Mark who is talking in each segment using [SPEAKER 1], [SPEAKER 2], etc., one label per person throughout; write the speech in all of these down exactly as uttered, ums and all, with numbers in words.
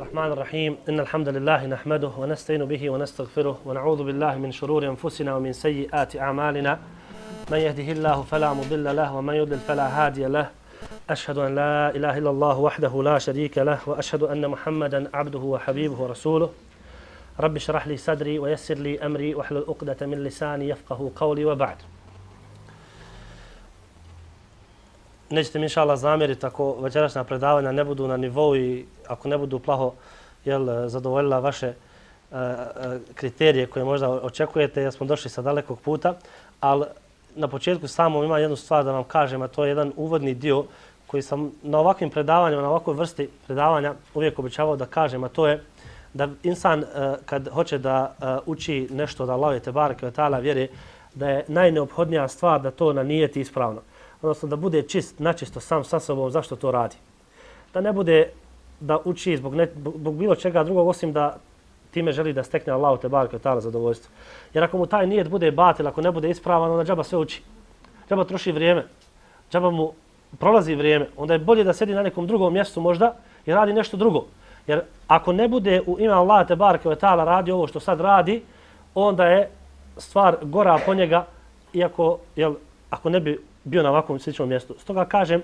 [SPEAKER 1] الرحمن الرحيم إن الحمد لله نحمده ونستعين به ونستغفره ونعوذ بالله من شرور أنفسنا ومن سيئات أعمالنا من يهده الله فلا مضل له ومن يضلل فلا هادي له أشهد أن لا إله إلا الله وحده لا شريك له وأشهد أن محمدا عبده وحبيبه ورسوله رب اشرح لي صدري ويسر لي أمري واحلل عقدة من لساني يفقهوا قولي وبعد. Nećete mi inša Allah zamjeriti ako večerašnja predavanja ne budu na nivou i ako ne budu plaho jel, zadovoljila vaše uh, kriterije koje možda očekujete jer smo došli sa dalekog puta, ali na početku samo ima jednu stvar da vam kažem, a to je jedan uvodni dio koji sam na ovakvim predavanjima, na ovakvoj vrsti predavanja uvijek običavao da kažem, a to je da insan uh, kad hoće da uh, uči nešto od Allaha te bareke ve taala vjere, da je najneophodnija stvar da to nanijeti ispravno. Odnosno da bude čist, načisto sam sa sobom zašto to radi. Da ne bude da uči zbog, ne, zbog bilo čega drugog osim da time želi da stekne Allahu te bareke ve taala zadovoljstvo. Jer ako mu taj nijet bude batil, ako ne bude ispravan, onda džaba sve uči. Džaba troši vrijeme. Džaba mu prolazi vrijeme. Onda je bolje da sedi na nekom drugom mjestu možda i radi nešto drugo. Jer ako ne bude u ime Allaha te bareke ve taala radi ovo što sad radi, onda je stvar gora po njega, iako jel, ako ne bi bio na ovakvom sličnom mjestu. Stoga kažem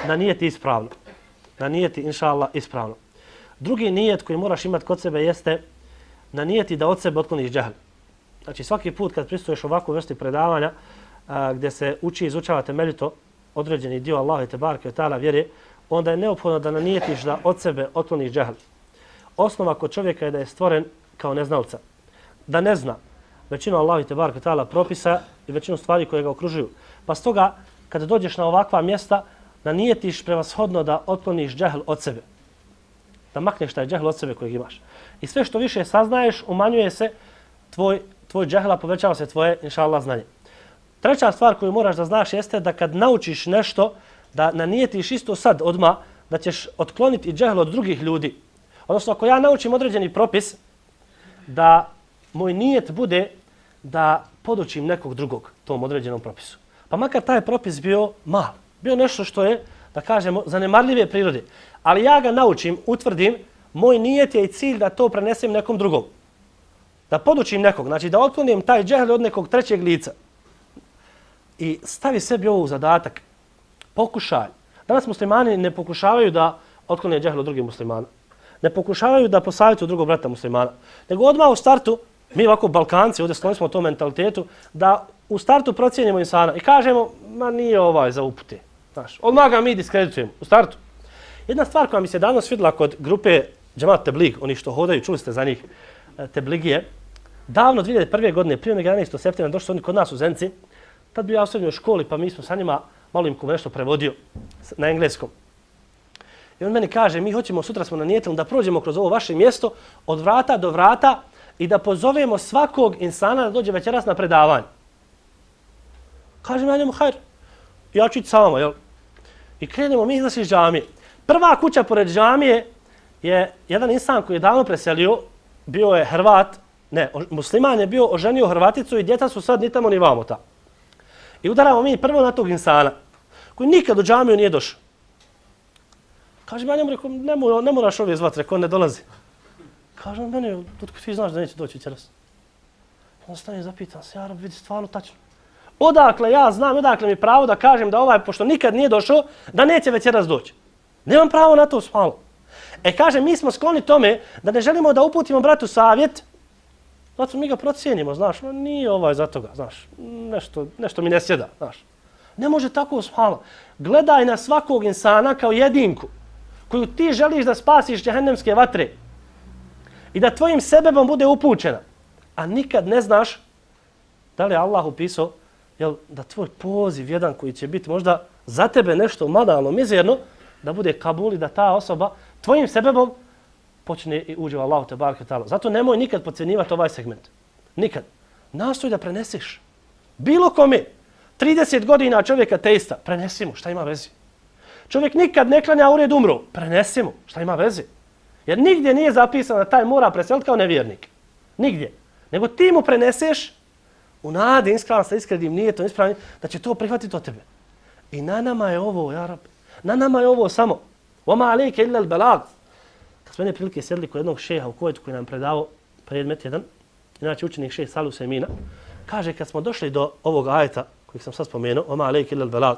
[SPEAKER 1] da nijeti ispravno. Da nijeti inša Allah ispravno. Drugi nijet koji moraš imati kod sebe jeste da nijeti da od sebe otkloniš džehl. Znači svaki put kad pristuješ ovakvu vrsti predavanja a, gdje se uči i izučava temeljito određeni dio Allaha te bareke ve taala vjere, onda je neophodno da nanijetiš da od sebe otkloniš džehl. Osnova kod čovjeka je da je stvoren kao neznalca. Da ne zna većinu Allaha te bareke ve taala propisa i većinu stvari koje ga okružuju. Pa stoga, kada dođeš na ovakva mjesta, nanijetiš prevashodno da otkloniš džehl od sebe. Da makneš taj džehl od sebe kojeg imaš. I sve što više saznaješ, umanjuje se tvoj, tvoj džehl, a povećava se tvoje, inša Allah, znanje. Treća stvar koju moraš da znaš jeste da kad naučiš nešto, da nanijetiš isto sad odmah, da ćeš otkloniti džehl od drugih ljudi. Odnosno, ako ja naučim određeni propis, da moj nijet bude da podučim nekog drugog tom određenom propisu. Pa makar taj propis bio mal, bio nešto što je, da kažemo, zanemarljive prirode. Ali ja ga naučim, utvrdim, moj nijet je i cilj da to prenesem nekom drugom. Da podučim nekog, znači da otklonim taj džehl od nekog trećeg lica. I stavi sebi ovo u zadatak. Pokušaj. Danas muslimani ne pokušavaju da otklone džehl od drugih muslimana. Ne pokušavaju da posavjetuju drugog brata muslimana. Nego odmah u startu, mi ovako Balkanci, ovdje skloni smo tom mentalitetu, da u startu procijenimo insana i kažemo, ma nije ovaj za upute. Znaš, odmah ga mi diskreditujemo u startu. Jedna stvar koja mi se danas vidjela kod grupe Džemat Teblig, oni što hodaju, čuli ste za njih, Tebligije, davno dvije hiljade prve godine, prije nego jedanaestog septembra, došli su oni kod nas u Zenci, tad bio ja u srednjoj školi, pa mi smo sa njima, malo im ko nešto prevodio na engleskom. I on meni kaže, mi hoćemo, sutra smo nanijetili da prođemo kroz ovo vaše mjesto od vrata do vrata i da pozovemo svakog insana da dođe večeras na predavanje. Kažem ja njemu, hajr, ja ću ići sa vama, jel? I krenemo mi izlazi iz džamije. Prva kuća pored džamije je jedan insan koji je davno preselio, bio je Hrvat, ne, musliman je bio, oženio Hrvaticu i djeca su sad ni tamo ni vamo ta. I udaramo mi prvo na tog insana, koji nikad u džamiju nije došao. Kažem ja njemu, rekao, ne, mora, ne moraš ovdje zvati, rekao, ne dolazi. Kažem meni, otko ti znaš da neće doći večeras? On stane i zapitan se, ja Rab, vidi stvarno tačno. Odakle ja znam, odakle mi pravo da kažem da ovaj, pošto nikad nije došao, da neće večeras doći. Nemam pravo na to smalo. E kaže, mi smo skloni tome da ne želimo da uputimo bratu savjet, zato mi ga procijenimo, znaš, no, nije ovaj za toga, znaš, nešto, nešto mi ne sjeda, znaš. Ne može tako smalo. Gledaj na svakog insana kao jedinku koju ti želiš da spasiš džehennemske vatre i da tvojim sebebom bude upućena, a nikad ne znaš da li je Allah upisao jel, da tvoj poziv jedan koji će biti možda za tebe nešto banalno, mizerno, da bude kabul i da ta osoba tvojim sebebom počne i uđe u Allahu te bareke ve taala. Zato nemoj nikad podcjenjivati ovaj segment. Nikad. Nastoj da preneseš. Bilo kome. trideset godina čovjeka teista. Prenesi mu. Šta ima veze? Čovjek nikad ne klanja u red umro. Prenesi mu. Šta ima veze? Jer nigdje nije zapisano da taj mora preseliti kao nevjernik. Nigdje. Nego ti mu preneseš u nadi, iskravan sa iskrenim nijetom, ispravnim, da će to prihvatiti od tebe. I na nama je ovo, ja Rab. Na nama je ovo samo. Oma alejke illa al-balag. kad smo jedne prilike sjedli kod jednog šeha u Kuvajtu koji nam predavao predmet jedan, inače učenik šejh Salih Usemina, kaže kad smo došli do ovog ajeta kojeg sam sad spomenuo, oma alejke illal belag,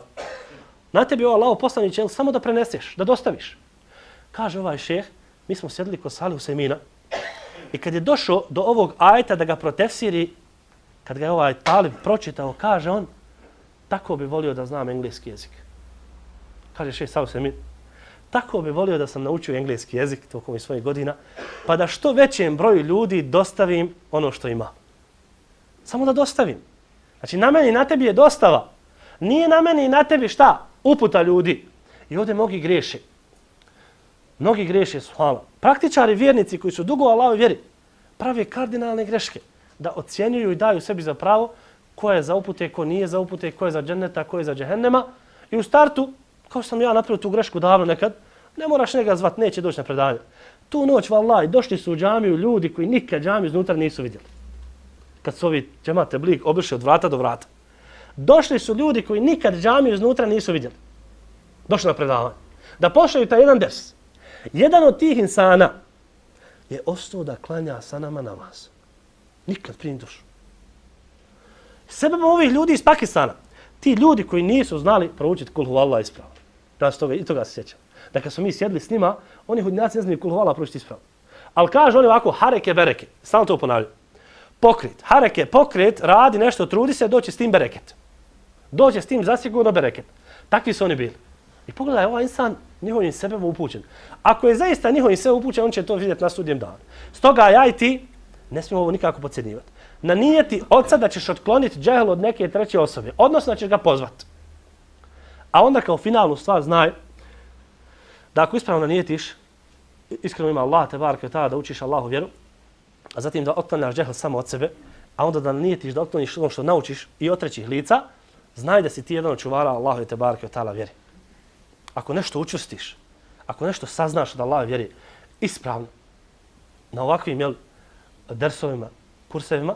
[SPEAKER 1] na tebi ovo Allahov poslaniče, jel samo da preneseš, da dostaviš. Kaže ovaj šejh, mi smo sjedli kod Salih Usemina i kad je došao do ovog ajeta da ga protefsiri, kad ga je ovaj talib pročitao, kaže on, tako bi volio da znam engleski jezik. Kaže šejh Salih Usemin, tako bi volio da sam naučio engleski jezik tokom svojih godina, pa da što većem broju ljudi dostavim ono što ima. Samo da dostavim. Znači, na meni i na tebi je dostava. Nije na meni i na tebi šta? Uputa ljudi. I ovdje mnogi greše. Mnogi greše, subhanallah. Praktičari, vjernici koji su dugo u Allahovoj vjeri, prave kardinalne greške. Da ocjenjuju i daju sebi za pravo ko je za upute, ko nije za upute, ko je za dženneta, ko je za džehennema. I u startu, kao što sam ja napravio tu grešku davno nekad, ne moraš njega zvat, neće doći na predavanje. Tu noć, vallahi, došli su u džamiju ljudi koji nikad džamiju iznutra nisu vidjeli. Kad su ovi džemate blik obišli od vrata do vrata. Došli su ljudi koji nikad džamiju iznutra nisu vidjeli. Došli na predavanje. Da pošalju taj jedan ders. Jedan od tih insana je ostao da klanja sa nama namaz. Nikad prije došao. Sebebom ovih ljudi iz Pakistana, ti ljudi koji nisu znali proučiti kul huvallah ispravno. Da se toga, i toga se sjećam. Da kad smo mi sjedli s njima, oni hudnjaci ne znaju kul huvallah proučiti ispravno. Ali kažu oni ovako, hareke bereke. Stalno to ponavljaju. Pokret. Hareke, pokret, radi nešto, trudi se, doće s tim bereket. Doće s tim zasigurno bereket. Takvi su oni bili. I pogledaj, ovaj insan njihovim sebebom upućen. Ako je zaista njihovim sebebom upućen, on će to vidjeti na sudnjem danu. Stoga ja i ti ne smijemo ovo nikako podcjenjivati. Na nijeti oca da ćeš otkloniti džehl od neke treće osobe. Odnosno da ćeš ga pozvati. A onda kao finalnu stvar znaj da ako ispravno nijetiš, iskreno ima Allah te bareke ta da učiš Allahu vjeru, a zatim da otklanjaš džehl samo od sebe, a onda da nijetiš da otkloniš ono što naučiš i od trećih lica, znaj da si ti jedan od čuvara Allahu te bareke ta vjeri. Ako nešto učustiš, ako nešto saznaš od Allahove vjeri ispravno, na ovakvim jel, dersovima, kursevima,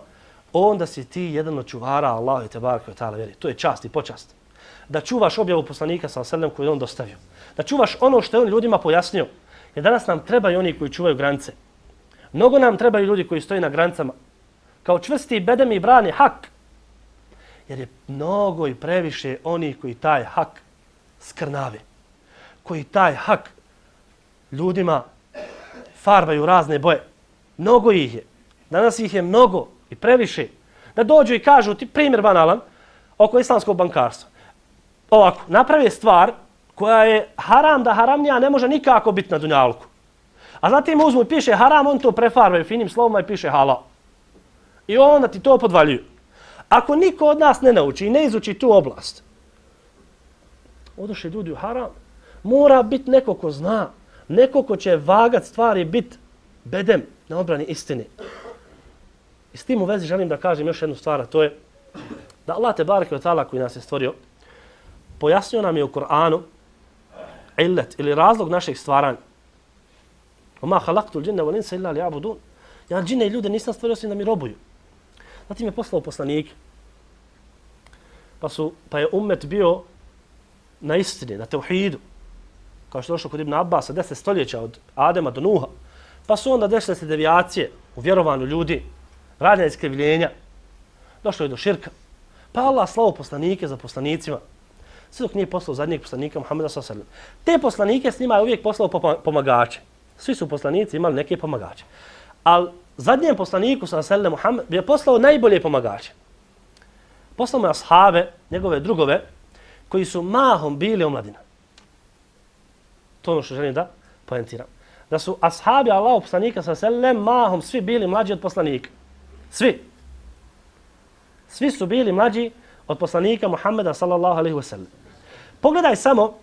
[SPEAKER 1] onda si ti jedan od čuvara Allahu te bareke ta vjeri. To je čast i počast. Da čuvaš objavu poslanika sallallahu alejhi ve sellem koju je on dostavio. Da čuvaš ono što je on ljudima pojasnio. Jer danas nam trebaju oni koji čuvaju granice. Mnogo nam trebaju ljudi koji stoji na granicama. Kao čvrsti bedem i brani hak. Jer je mnogo i previše oni koji taj hak skrnave. Koji taj hak ljudima farbaju razne boje. Mnogo ih je. Danas ih je mnogo i previše. Da dođu i kažu, ti primjer banalan, oko islamskog bankarstva. Ovako, napravi stvar koja je haram da haramnija ne može nikako biti na dunjalku. A zatim uzmu i piše haram, on to prefarbaju finim slovima i piše halal. I onda ti to podvaljuju. Ako niko od nas ne nauči i ne izuči tu oblast, odošli ljudi u haram, mora biti neko ko zna, neko ko će vagat stvari biti bedem na odbrani istine. I s tim u vezi želim da kažem još jednu stvar, a to je da Allah te bareke ve taala koji nas je stvorio, pojasnio nam je u Kur'anu illet ili razlog našeg stvaranja. Oma halaktul džinne wal insa illa liya'budun. Ja džine i ljude nisam stvorio osim da mi robuju. Zatim je poslao poslanike. Pa, su, pa je ummet bio na istini, na tevhidu. Kao što je došlo kod Ibn Abbasa, deset stoljeća od Adema do Nuha. Pa su onda desile se devijacije u vjerovanju ljudi, radnja iskrivljenja. Došlo je do širka. Pa Allah slao poslanike za poslanicima. Sve dok nije poslao zadnjeg poslanika Muhammeda sallallahu alejhi ve sellem. Te poslanike s njima je uvijek poslao pomagače. Svi su poslanici imali neke pomagače. Ali zadnjem poslaniku sallallahu alejhi ve sellem Muhammed je poslao najbolje pomagače. Poslao mu je ashabe, njegove drugove, koji su mahom bili omladina. To je ono što želim da poentiram. Da su ashabi Allahov poslanika sallallahu alejhi ve sellem mahom svi bili mlađi od poslanika. Svi. Svi su bili mlađi od poslanika Muhammeda sallallahu alejhi ve sellem. Pogledaj samo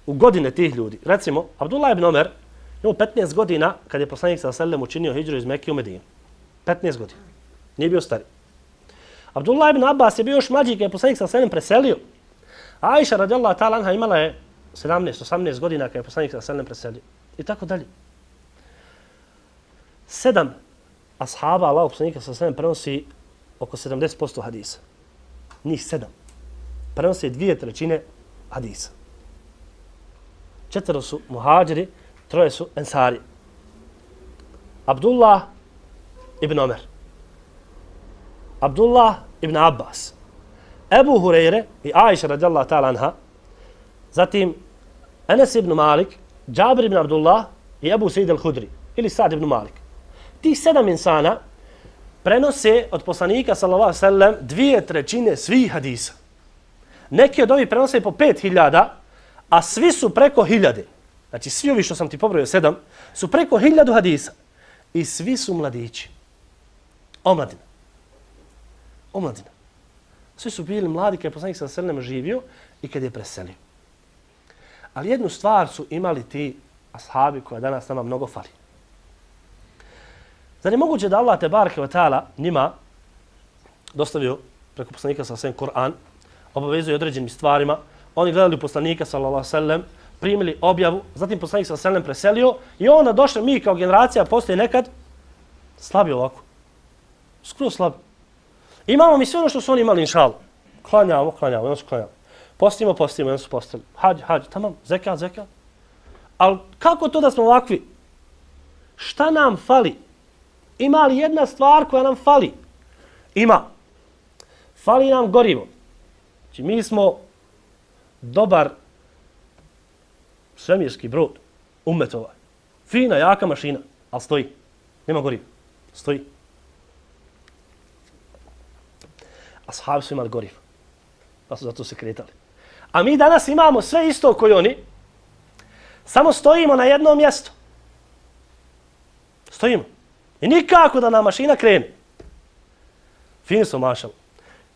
[SPEAKER 1] u godine tih ljudi. Recimo, Abdullah ibn Omer imao petnaest godina kad je poslanik sallallahu alejhi ve sellem učinio hidžru iz Mekke u Medinu. petnaest godina. Nije bio stari. Abdullah ibn Abbas je bio još mlađi kad je poslanik sallallahu alejhi ve sellem preselio. Aisha radijallahu ta'ala anha imala je sedamnaest osamnaest godina kad je poslanik sallallahu alejhi ve sellem preselio. I tako dalje. Sedam ashaba Allahov poslanika sallallahu alejhi ve sellem prenosi oko sedamdeset posto hadisa. Njih sedam. Prenose dvije trećine hadisa. Četvero su muhađiri, troje su ensari. Abdullah ibn Omer, Abdullah ibn Abbas, Ebu Hureyre i Aisha radijallahu ta'ala anha, zatim Enes ibn Malik, Džabir ibn Abdullah i Ebu Sejid al-Hudri ili Sad ibn Malik. Tih sedam insana prenose od poslanika sallallahu alejhi ve sellem dvije trećine svih hadisa. Neki od ovih prenose po pet hiljada, a svi su preko hiljade. Znači svi ovi što sam ti pobrojio sedam su preko hiljadu hadisa. I svi su mladići. Omladina. Omladina. Svi su bili mladi kad je poslanik sallallahu alejhi ve sellem živio i kad je preselio. Ali jednu stvar su imali ti ashabi koja danas nama mnogo fali. Zar je moguće da Allah tebareke ve taala njima dostavio preko poslanika sallallahu alejhi ve sellem Kur'an, obavezuje određenim stvarima, oni gledali poslanika sallallahu alejhi ve sellem, primili objavu, zatim poslanik sallallahu alejhi ve sellem preselio i onda došli mi kao generacija postoje nekad slabi ovako. Skroz slabi. Imamo mi sve ono što su oni imali, inšallah. Klanjamo, klanjamo, ono su klanjamo. Postimo, postimo, ono su postili. Hađ, hađ, tamam, zekat, zekat. Ali kako to da smo ovakvi? Šta nam fali? Ima li jedna stvar koja nam fali? Ima. Fali nam gorivo. Znači mi smo dobar svemirski brod, ummet ovaj. Fina, jaka mašina, ali stoji. Nema goriva. Stoji. Ashabi su imali gorivo. Pa su zato se kretali. A mi danas imamo sve isto koji oni. Samo stojimo na jednom mjestu. Stojimo. I nikako da nam mašina krene. Fini su mašali.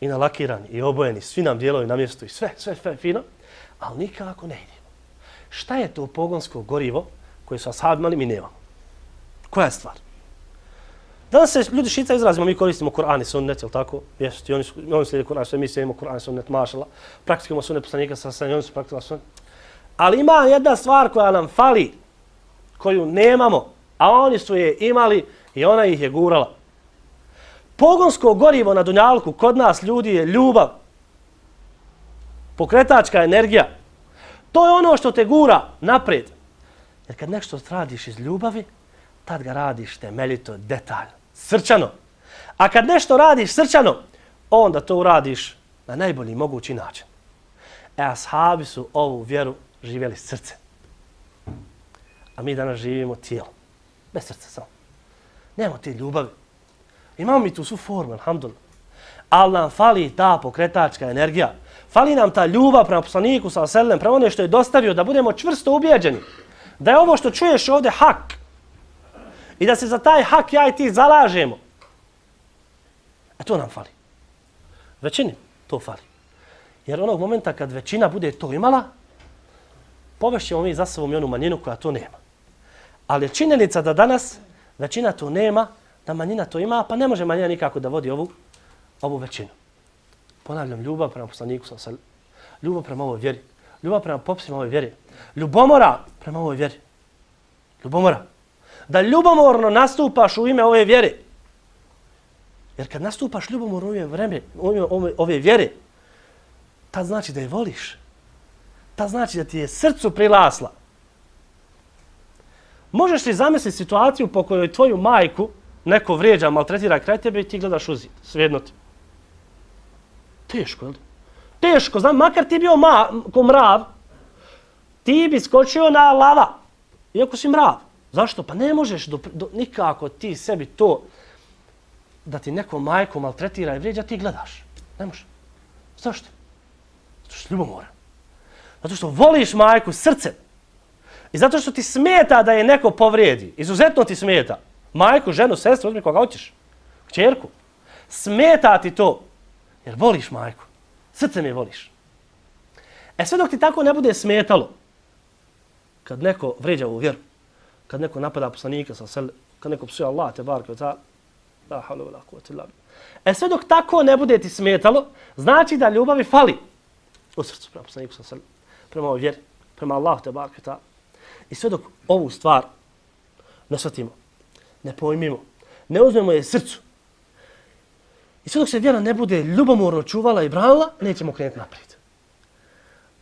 [SPEAKER 1] I nalakirani, i obojeni, svi nam dijelovi na mjestu i sve, sve, sve fino. Ali nikako ne idemo. Šta je to pogonsko gorivo koje su ashabi imali, mi nemamo? Koja je stvar? Danas se ljudi šica izrazimo, mi koristimo Kur'an i sunnet, jel tako? Jeste, oni, oni slijede Kur'an, sve mi slijedimo Kur'an i sunnet, mašala. Praktikujemo sunnet poslanika sa sve, oni su praktikovali sunnet. Ali ima jedna stvar koja nam fali, koju nemamo, a oni su je imali i ona ih je gurala. Pogonsko gorivo na dunjalku kod nas ljudi je ljubav. Pokretačka energija. To je ono što te gura naprijed. Jer kad nešto radiš iz ljubavi, tad ga radiš temeljito, detaljno, srčano. A kad nešto radiš srčano, onda to uradiš na najbolji mogući način. E, ashabi su ovu vjeru živjeli srce. A mi danas živimo tijelo. Bez srca samo. Nemamo te ljubavi. Imamo mi tu svu formu, alhamdulillah. Ali nam fali ta pokretačka energija. Fali nam ta ljubav prema poslaniku, sallallahu alejhi ve sellem, prema ono što je dostavio, da budemo čvrsto ubijeđeni. Da je ovo što čuješ ovdje hak. I da se za taj hak ja i ti zalažemo. A to nam fali. Većini to fali. Jer onog momenta kad većina bude to imala, povešćemo mi za sobom i onu manjinu koja to nema. Ali je činjenica da danas većina to nema, da manjina to ima, pa ne može manjina nikako da vodi ovu, ovu većinu. Ponavljam, ljubav prema poslaniku, ljubav prema ovoj vjeri, ljubav prema popisima ovoj vjeri, ljubomora prema ovoj vjeri. Ljubomora. Da ljubomorno nastupaš u ime ove vjere. Jer kad nastupaš ljubomorno u ime, vreme, u ime ove, ove vjere, tad znači da je voliš. Tad znači da ti je srcu prilasla. Možeš li zamisliti situaciju po kojoj tvoju majku neko vrijeđa, maltretira kraj tebe i ti gledaš u zid, svejedno ti. Teško, jel? Teško, znam, makar ti bio ma, ko mrav, ti bi skočio na lava, iako si mrav. Zašto? Pa ne možeš do, do, nikako ti sebi to da ti neko majku maltretira i vrijeđa, ti gledaš. Ne može. Zašto? Zato što si ljubomoran. Zato što voliš majku srcem. I zato što ti smeta da je neko povrijedi. Izuzetno ti smeta. Majku, ženu, sestru, uzmi koga hoćeš. Kćerku. Smeta ti to. Jer voliš majku. Srcem je voliš. E sve dok ti tako ne bude smetalo, kad neko vrijeđa u vjeru, kad neko napada poslanika, kad neko psuje Allah, te barke, ta, la havla wala quwwata illa billah. E sve dok tako ne bude ti smetalo, znači da ljubavi fali u srcu prema poslaniku, prema ovoj vjeri, prema Allahu, te barke, ta. I sve dok ovu stvar ne shvatimo, ne pojmimo, ne uzmemo je srcu, i sve dok se vjera ne bude ljubomorno čuvala i branila, nećemo krenuti naprijed.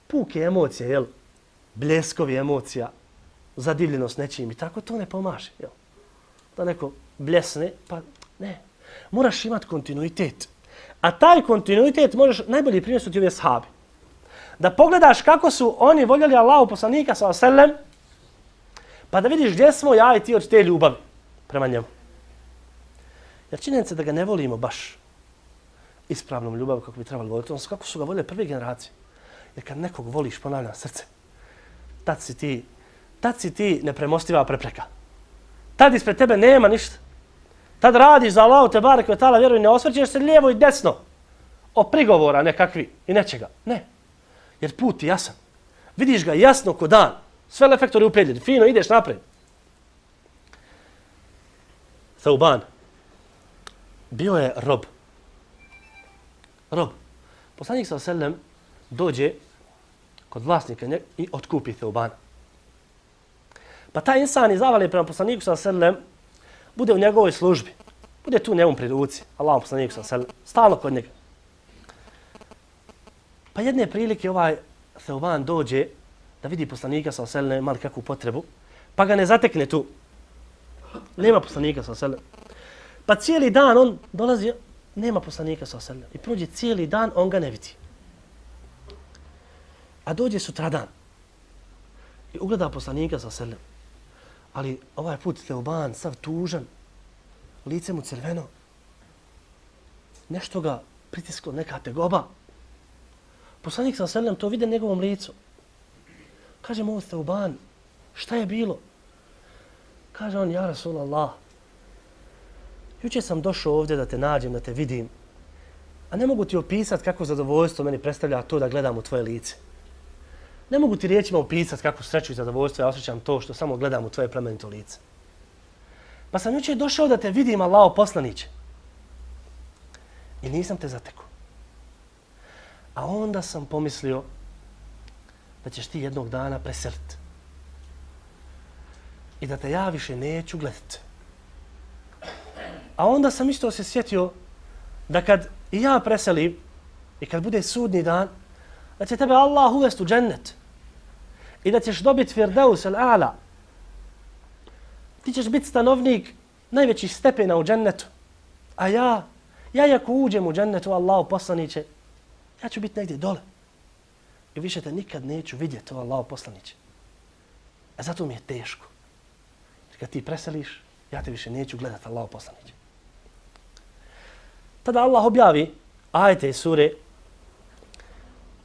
[SPEAKER 1] Puke emocije, jel? Bljeskovi emocija, zadivljenost nečim i tako, to ne pomaže. Jel? Da neko bljesne, pa ne. Moraš imati kontinuitet. A taj kontinuitet možeš najbolji primjer su ti ove sahabi. Da pogledaš kako su oni voljeli Allahu poslanika sallallahu alejhi ve sellem, pa da vidiš gdje smo ja i ti od te ljubavi prema njemu. Jer činjenica da ga ne volimo baš ispravnom ljubavom kako bi trebali voliti, odnosno kako su ga voljeli prve generacije. Jer kad nekog voliš, ponavljam srce, tad si ti, tad si ti nepremostiva prepreka. Tad ispred tebe nema ništa. Tad radiš za Allahu te barek ve taala vjeru i ne osvrćeš se lijevo i desno o prigovora nekakvi i nečega. Ne. Jer put je jasan. Vidiš ga jasno ko dan. Sve efektori upredljeni. Fino ideš naprijed. Thauban. Bio je rob. Rob. Poslanik sallallahu alejhi ve sellem dođe kod vlasnika i otkupi Thaubana. Pa taj insan iz zavale prema poslaniku sallallahu alejhi ve sellem bude u njegovoj službi. Bude tu njemu pri ruci. Allahom poslaniku sallallahu alejhi ve sellem. Stalno kod njega. Pa jedne prilike ovaj Thauban dođe da vidi poslanika sallallahu alejhi ve sellem mali kakvu potrebu, pa ga ne zatekne tu. Nema poslanika sallallahu alejhi ve sellem. Pa cijeli dan on dolazi, nema poslanika sallallahu alejhi ve sellem. I prođe cijeli dan, on ga ne vidi. A dođe sutradan i ugleda poslanika sallallahu alejhi ve sellem. Ali ovaj put Thauban sav tužan, lice mu crveno, nešto ga pritisklo, neka tegoba. Poslanik sallallahu alejhi ve sellem to vide njegovom licu. Kaže mu Thauban, šta je bilo? Kaže on, ja Rasulallah, jučer sam došao ovdje da te nađem, da te vidim, a ne mogu ti opisati kako zadovoljstvo meni predstavlja to da gledam u tvoje lice. Ne mogu ti riječima opisati kako sreću i zadovoljstvo ja osjećam to što samo gledam u tvoje plemenito lice. Pa sam jučer došao da te vidim, Allaho poslaniće. I nisam te zatekao. A onda sam pomislio da ćeš ti jednog dana preseliti. I da te ja više neću gledati. A onda sam isto se sjetio da kad i ja preselim i kad bude sudni dan, da će tebe Allah uvesti u džennet i da ćeš dobiti Firdaus al-A'la. Ti ćeš biti stanovnik najvećih stepena u džennetu. A ja, ja ako uđem u džennetu, Allahu poslaniće, ja ću biti negdje dole. I više te nikad neću vidjeti, o Allahu poslaniće. A zato mi je teško. Jer kad ti preseliš, ja te više neću gledati, Allahu poslaniće. Tada Allah objavi ajete iz sure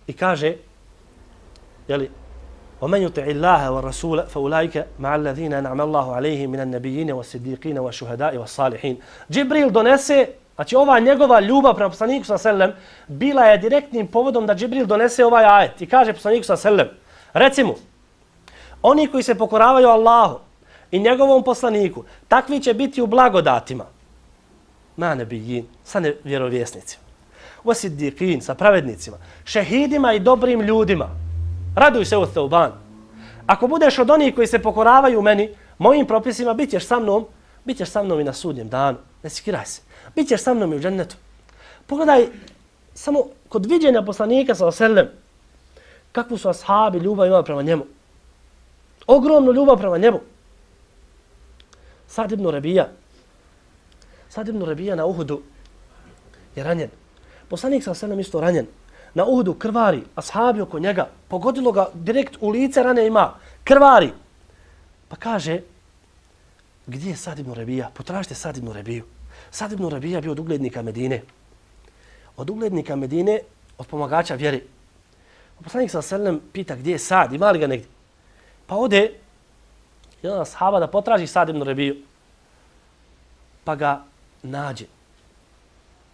[SPEAKER 1] i kaže, jeli, وَمَنْ يُطِعِ اللَّهَ وَالرَّسُولَ فَأُولَٰئِكَ مَعَ الَّذِينَ أَنْعَمَ اللَّهُ عَلَيْهِمْ مِنَ النَّبِيِّينَ وَالصِّدِّيقِينَ وَالشُّهَدَاءِ وَالصَّالِحِينَ. Džibril donese, znači ova njegova ljubav prema poslaniku sallallahu alejhi ve sellem bila je direktnim povodom da Džibril donese ovaj ajet i kaže poslaniku sallallahu alejhi ve sellem, reci mu, oni koji se pokoravaju Allahu i njegovom poslaniku, takvi će biti u blagodatima. Ma nebijin, sa nevjerovjesnicima. Wasiddiqin, sa pravednicima. Šehidima i dobrim ljudima. Raduj se o Thauban. Ako budeš od onih koji se pokoravaju meni, mojim propisima, bit ćeš sa mnom, bit ćeš sa mnom i na sudnjem danu. Ne sikiraj se. Bit ćeš sa mnom i u džennetu. Pogledaj, samo kod viđenja poslanika sallallahu alejhi ve sellem, kakvu su ashabi ljubav imali prema njemu. Ogromnu ljubav prema njemu. Sad ibn Rabija. Sad ibn Rabija na Uhudu je ranjen. Poslanik sallallahu alejhi ve sellem isto ranjen. Na Uhudu krvari, ashabi oko njega, pogodilo ga direkt u lice, rane ima, krvari. Pa kaže, gdje je Sad ibn Rabija? Potražite Sad ibn Rabiju. Sad ibn Rabija bio od uglednika Medine. Od uglednika Medine, od pomagača vjeri. Poslanik sallallahu alejhi ve sellem pita gdje je Sad, ima li ga negdje? Pa ode jedan ashaba da potraži Sad ibn Rabiju. Pa ga nađe.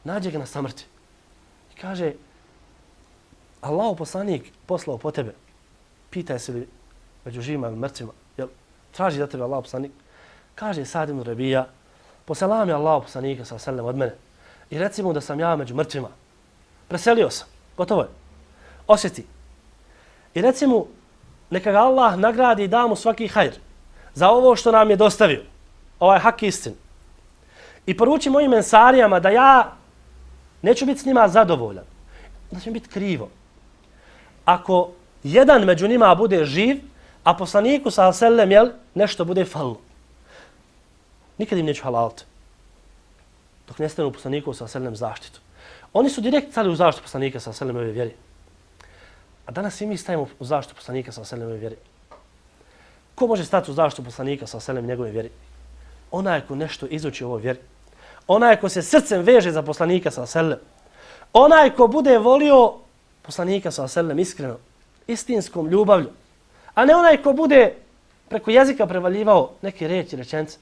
[SPEAKER 1] Nađe ga na samrti. I kaže, Allahu poslanik poslao po tebe. Pitaj se li među živima ili mrtvima. Jel, traži za tebe Allahu poslanik. Kaže Sad ibn Rabija, poselam je Allahu poslanika sallallahu alejhi ve sellem od mene. I reci mu da sam ja među mrtvima. Preselio sam. Gotovo je. Osjeti. I reci mu, neka ga Allah nagradi i da mu svaki hajr za ovo što nam je dostavio. Ovaj hak istin. I poruči mojim mensarijama da ja neću biti s njima zadovoljan. Da će mi biti krivo. Ako jedan među njima bude živ, a poslaniku sa selem jel nešto bude falilo. Nikad im neću halaliti. Dok ne stanu poslaniku sa selem zaštitu. Oni su direkt stali u zaštitu poslanika sa selem ove vjeri. A danas i mi stajemo u zaštitu poslanika sa selem ove vjeri. Ko može stati u zaštitu poslanika sa selem njegove vjeri? Onaj ko nešto izuči o ovoj vjeri. Onaj ko se srcem veže za poslanika sa selem. Onaj ko bude volio poslanika sa selem iskreno, istinskom ljubavlju. A ne onaj ko bude preko jezika prevaljivao neke riječi, rečenice.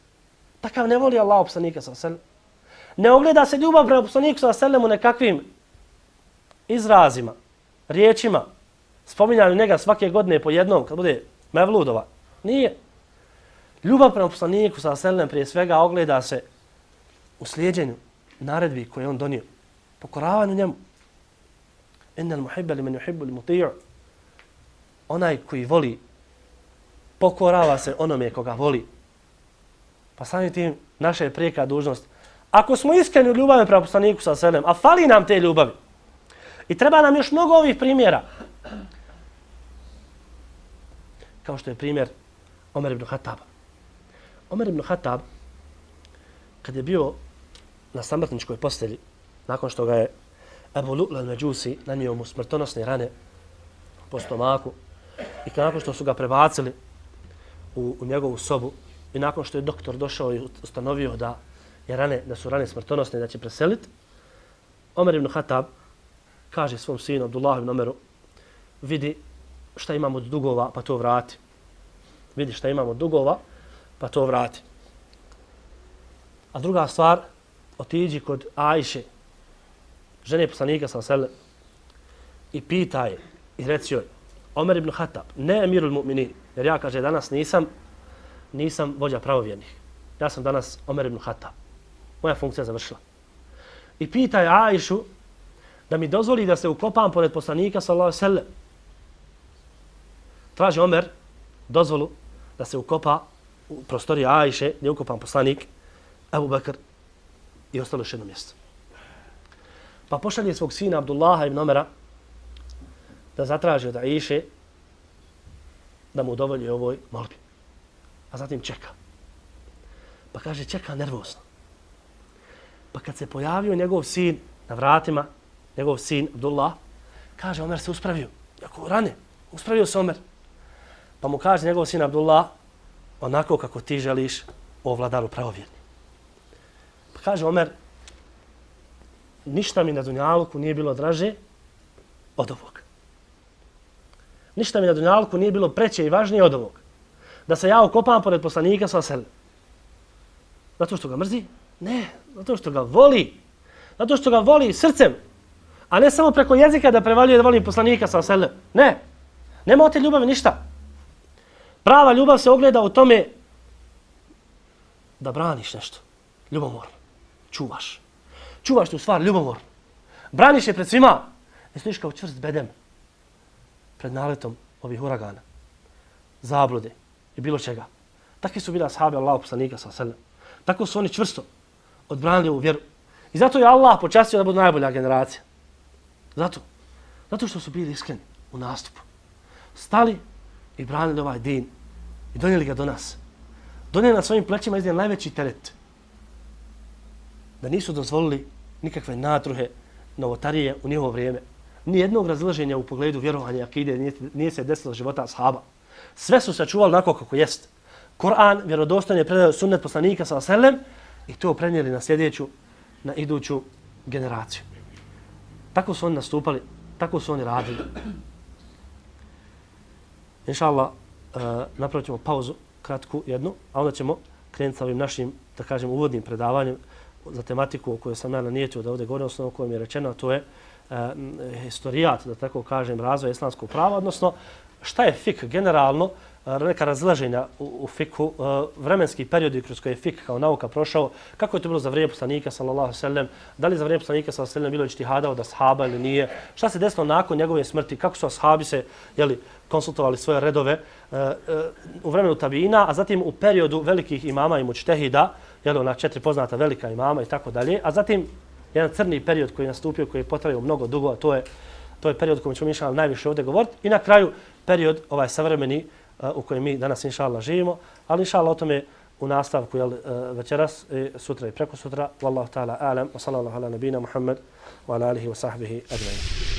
[SPEAKER 1] Takav ne voli Allah poslanika sa selem. Ne ogleda se ljubav prema poslaniku sa selem u nekakvim izrazima, riječima, spominjanju njega svake godine po jednom kad bude mevludova. Nije. Ljubav prema poslaniku sa selem prije svega ogleda se u slijeđenju naredbi koje on donio. Pokoravanju njemu. Innal muhibba liman yuhibbu al-muti'u. Onaj koji voli pokorava se onome koga voli. Pa samim tim naša je prijeka dužnost. Ako smo iskreni u ljubavi prema poslaniku sa selem, a fali nam te ljubavi. I treba nam još mnogo ovih primjera. Kao što je primjer Omer ibn Khattaba. Omer ibn Khattab, kad je bio na samrtničkoj postelji, nakon što ga je Ebu Lu'lu al-Međusi nanio mu smrtonosne rane po stomaku i nakon što su ga prebacili u, u njegovu sobu i nakon što je doktor došao i ustanovio da, je rane, da su rane smrtonosne da će preseliti, Omer ibn Khattab kaže svom sinu Abdullah ibn Omeru, vidi šta imamo od dugova pa to vrati. Vidi šta imamo od dugova pa to vrati. A druga stvar, otiđi kod Ajše, žene poslanika sa selem, i pita je i reci joj, Omer ibn Khattab, ne emirul mu'minin, jer ja, kaže, danas nisam, nisam vođa pravovjernih. Ja sam danas Omer ibn Khattab. Moja funkcija je završila. I pita je Ajšu da mi dozvoli da se ukopam pored poslanika sallallahu alejhi ve sellem. Traži Omer dozvolu da se ukopa u prostoriji Ajše, gdje je ukopan poslanik Ebu Bekr i ostalo još jedno mjesto. Pa pošalje svog sina Abdullaha ibn Omera da zatraži od Ajše da mu udovolji ovoj molbi. A zatim čeka. Pa kaže, čeka nervozno. Pa kad se pojavio njegov sin na vratima, njegov sin Abdullah, kaže, Omer se uspravio. Jako rane, uspravio se Omer. Pa mu kaže njegov sin Abdullah, onako kako ti želiš, o vladaru pravovjerni. Pa kaže Omer, ništa mi na dunjaluku nije bilo draže od ovog. Ništa mi na dunjaluku nije bilo preće i važnije od ovog. Da se ja ukopam pored poslanika sa selem. Zato što ga mrzi? Ne, zato što ga voli. Zato što ga voli srcem. A ne samo preko jezika da prevaljuje da voli poslanika sa selem. Ne, nema od te ljubavi ništa. Prava ljubav se ogleda u tome da braniš nešto. Ljubomorno. Čuvaš. Čuvaš tu stvar ljubomorno. Braniš je pred svima. Ne stojiš kao čvrst bedem pred naletom ovih uragana, zablude i bilo čega. Takvi su bili ashabi Allahu poslanika sallallahu alejhi ve sellem. Tako su oni čvrsto odbranili ovu vjeru. I zato je Allah počastio da budu najbolja generacija. Zato. Zato što su bili iskreni u nastupu. Stali i branili ovaj din i donijeli ga do nas. Donijeli na svojim plećima iznijeli najveći teret. Da nisu dozvolili nikakve natruhe, novotarije u njihovo vrijeme. Nijednog razilaženja u pogledu vjerovanja i akide nije, nije se desilo života ashaba. Sve su sačuvali onako kako jest. Kur'an vjerodostojno je predao sunnet poslanika sallallahu alejhi ve sellem i to prenijeli na sljedeću, na iduću generaciju. Tako su oni nastupali, tako su oni radili. Inša Allah, uh, napravit ćemo pauzu, kratku jednu, a onda ćemo krenuti sa ovim našim, da kažem, uvodnim predavanjem za tematiku o kojoj sam ja nanijetio da ovdje govorim, osnovno o kojem je rečeno, a to je uh, historijat, da tako kažem, razvoja islamskog prava, odnosno šta je fik generalno, neka razlaženja u, u fiku, vremenski periodi kroz koje je fik kao nauka prošao, kako je to bilo za vrijeme poslanika sallallahu alejhi ve sellem, da li za vrijeme poslanika sallallahu alejhi ve sellem bilo ijtihada od ashaba ili nije, šta se desilo nakon njegove smrti, kako su ashabi se jeli, konsultovali svoje redove uh, uh, u vremenu tabiina, a zatim u periodu velikih imama i mučtehida, jeli, ona četiri poznata velika imama i tako dalje, a zatim jedan crni period koji je nastupio, koji je potrajao mnogo dugo, a to je, to je period kojom ćemo inšallah najviše ovdje govoriti, i na kraju period ovaj savremeni u kojem mi danas inša Allah živimo, ali inša Allah o tome u nastavku jel, večeras, sutra i preko sutra. Wallahu ta'ala alam, wa sallallahu ala nabina Muhammad wa ala alihi wa sahbihi ajma'in.